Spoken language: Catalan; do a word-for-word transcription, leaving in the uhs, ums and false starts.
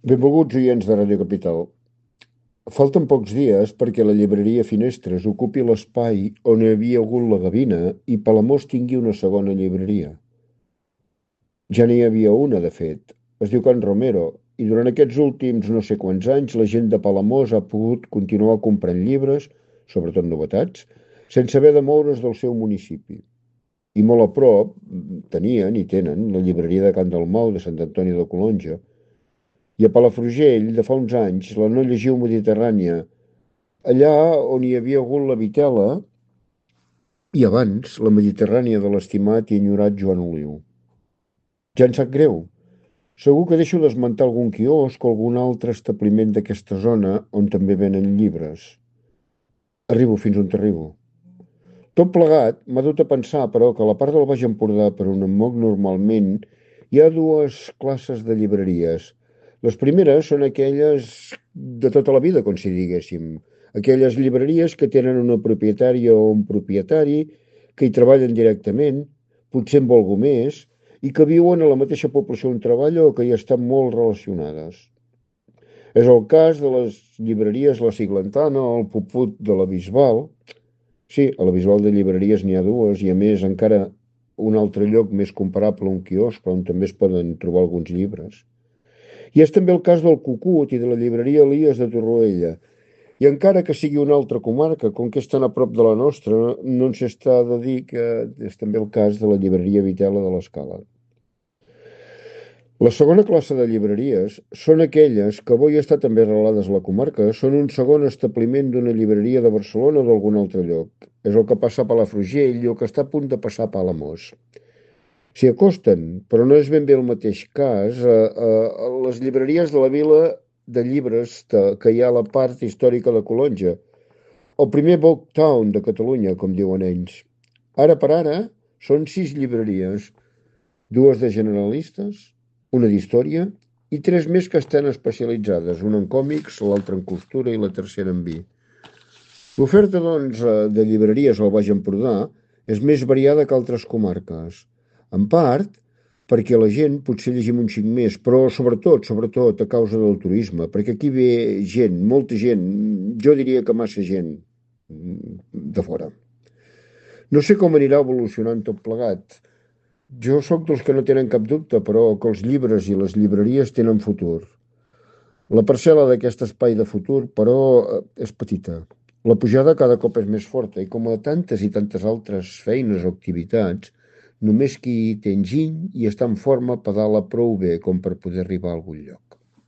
Benvolguts oients de Ràdio Capital. Falten pocs dies perquè la llibreria Finestres ocupi l'espai on hi havia hagut la Gavina i Palamós tingui una segona llibreria. Ja n'hi havia una, de fet. Es diu Can Romero, i durant aquests últims no sé quants anys la gent de Palamós ha pogut continuar comprant llibres, sobretot novetats, sense haver de moure's del seu municipi. I molt a prop tenien i tenen la llibreria de Can Dalmau de Sant Antoni de Colonja. I a Palafrugell, de fa uns anys, la No Llegiu Mediterrània, allà on hi havia hagut la Vitela i abans la Mediterrània de l'estimat i enyorat Joan Oliu. Ja em sap greu. Segur que deixo d'esmentar algun quiosc o algun altre establiment d'aquesta zona on també venen llibres. Arribo fins on t'arribo. Tot plegat m'ha dut a pensar, però, que a la part del Baix Empordà, per on em moc normalment, hi ha dues classes de llibreries. Les primeres són aquelles de tota la vida, com si diguéssim. Aquelles llibreries que tenen una propietària o un propietari, que hi treballen directament, potser amb algú més, i que viuen a la mateixa població on treballa o que hi estan molt relacionades. És el cas de les llibreries La Siglentana o el Puput de la Bisbal. Sí, a la Bisbal de llibreries n'hi ha dues i, a més, encara un altre lloc més comparable a un quiosc on també es poden trobar alguns llibres. I és també el cas del Cucut i de la llibreria Elies de Torroella. I encara que sigui una altra comarca, com que és tan a prop de la nostra, no ens està de dir que és també el cas de la llibreria Vitela de l'Escala. La segona classe de llibreries són aquelles que avui estan també arrelades a la comarca, són un segon establiment d'una llibreria de Barcelona o d'algun altre lloc. És el que passa a Palafrugell i el que està a punt de passar a Palamós. S'hi acosten, però no és ben bé el mateix cas, a, a, a les llibreries de la vila de llibres de, que hi ha a la part històrica de Colonja, el primer Book Town de Catalunya, com diuen ells. Ara per ara són sis llibreries, dues de generalistes, una d'història i tres més que estan especialitzades, una en còmics, l'altra en costura i la tercera en vi. L'oferta, doncs, de llibreries al Baix Empordà és més variada que altres comarques, en part perquè la gent potser llegim un xic més, però sobretot, sobretot a causa del turisme, perquè aquí ve gent, molta gent, jo diria que massa gent de fora. No sé com anirà evolucionant tot plegat. Jo sóc dels que no tenen cap dubte, però que els llibres i les llibreries tenen futur. La parcel·la d'aquest espai de futur, però, és petita. La pujada cada cop és més forta i, com a tantes i tantes altres feines o activitats, només qui té enginy i està en forma pedala prou bé com per poder arribar a algun lloc.